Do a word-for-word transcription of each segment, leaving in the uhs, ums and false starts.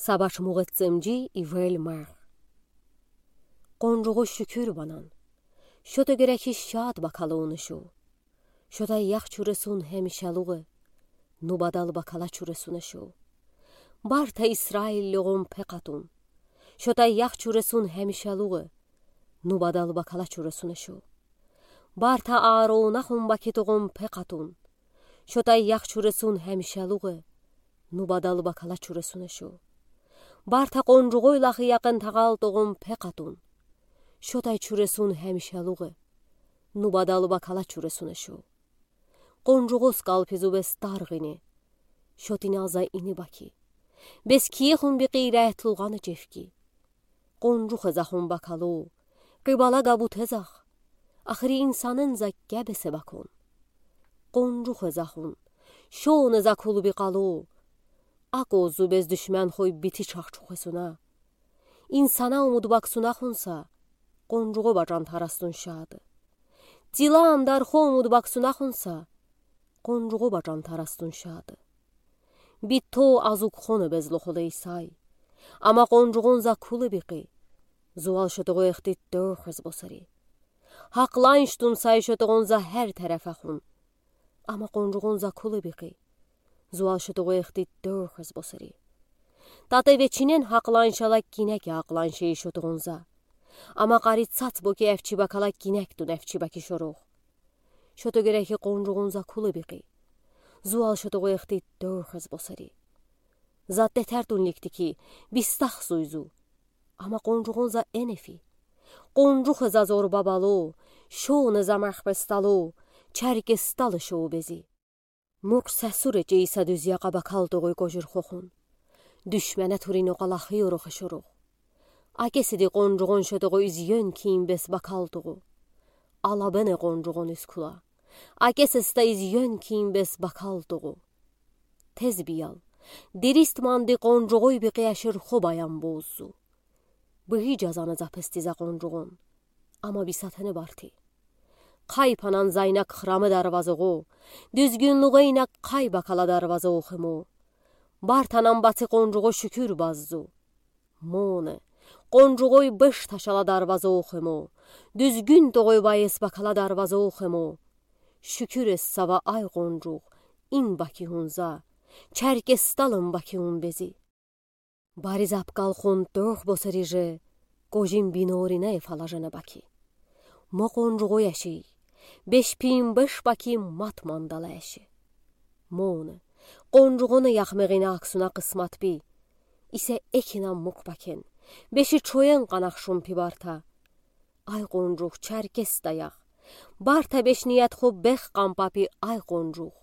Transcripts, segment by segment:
Сабач мугъ эццемджи ивел марх. Къунжугъу шүкюр банан. Шото герек шад бакалуна шу. Шотай ях чуресун хемишалугъ, нубадал бакала чуресуна шу. Барта Исраиллюгъун пе къатун. Шотай ях чуресун хемишалугъ, нубадал бакала чуресуна шу. Барта Аарона хун бакитугъун пе къатун. Шотай ях чуресун хемишалугъ, нубадал бакала чуресуна шу. Барта къунжугъуй лахи якъын тагъалтугъун пе къатун. Шотай чуресун хемишалугъ, нубадал бакала чуресуна шу. Къунжугъу скалпи зубез таргъ ини. Шотинал за ини баки. Бес киехун бикъи рятлугъана чевки. Къунжухъ захун бакалу, къибала габутезах, ахри инсанын за кебесе бакун. Къунжухъ захун, шоуна за кулуби къалу, акъу зубез душман хуй бити чахчухъ эсуна. Инсана умуд баксуна хунса, къунжугъу бачан тарастун шады. Тилан дархо умуд баксуна хунса, къунжугъу бачан тарастун шады. Битто азук хона безлохолей сай. Ама къунжугъун за кулуби къи. Зуал шотугъу эхтит дохъез босари. Хакъланштун сай шотугъун за хер терефахун. Ама къунжугъун за кулуби къи. Зуал шотугъу эхтит дохъез босари. Тате вечин хакъланшала кинеки хакъланшей шотугъун за. Ама къари цац боки эфчи бакала кинектун эфчи баки шорух. Шото герек къунжугъун за кулуби къи. Зуал шотугъу эхтит дохъез босари. За тетертун ликтики, бистах суйзу. Ама къунжугъун за энефи. Къунжухъ за зорба балу, шоуна за марх песталу, чаркесталы шоу бези. Мук сасуре чейса дуз якъа бакалтугъуй кожир хохун. Душмана турин окъалахи орохе шорух. Акесиди къунжугъун шотугъу изъён ким бес бакалтугъу. Алабене къунжугъун искула. Акесиста изъён ким бес бакалтугъу. Тез биял. Дирист манди къунжугъуй бикъи ашир хо баян боззу. Быгъи жазана запести за къунжугъун. Ама бисатене барти. Къайпанан зайнак храме дарвазугъу, дюзгюнлюгъейнак къай бакала дарвазугъу хему. Бартанан баци къунжугъу шүкюр баззу. Моне, къунжугъуй быш ташала дарвазугъу хему, дюзгюн тогъуй байес бакала дарвазугъу хему. Шүкюр эс сава ай къунжугъ, ин баки хун за, чаркесталын баки хун бези. Бари запкал хун тохъ босари же, кожин бинорина эфала жана баки. Мо къунжугъу яши, беш пин беш баки мат мандала яши. Моне, къунжугъуна яхмегъина аксуна къысмат би. Исе экина мук бакен, беши чоен къанахшун пи барта. Ай къунжугъ, чаркес даяхъ. Барта беш ният ху бех къампапи ай къунжугъ.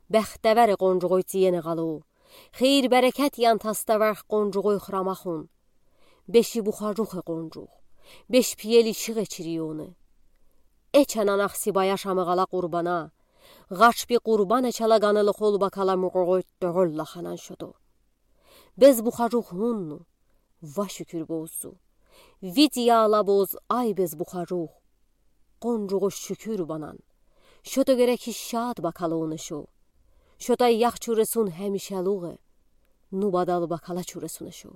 Бехтевер къунжугъуй тиене гъалу. Хейир берекет ян таставарх къунжугъуй храмахун. Беши бухажухъ э къунжугъ. Беш пиели шигъе чирионы. Эчанан ахси бая шамы гъала къурбана. Гъач би къурбан эчала ганылы хол бакала мугъугъуй тёгъол лаханан шото. Без бухажухъ хунну. Ва шүкюр боззу. Вид яла боз ай без бухажухъ. Къунжугъу шүкюр банан. Шото герек шад бакалуна шу. Шотай ях чуресун хемишалугъ э. Нубадал бакала чуресуна шу.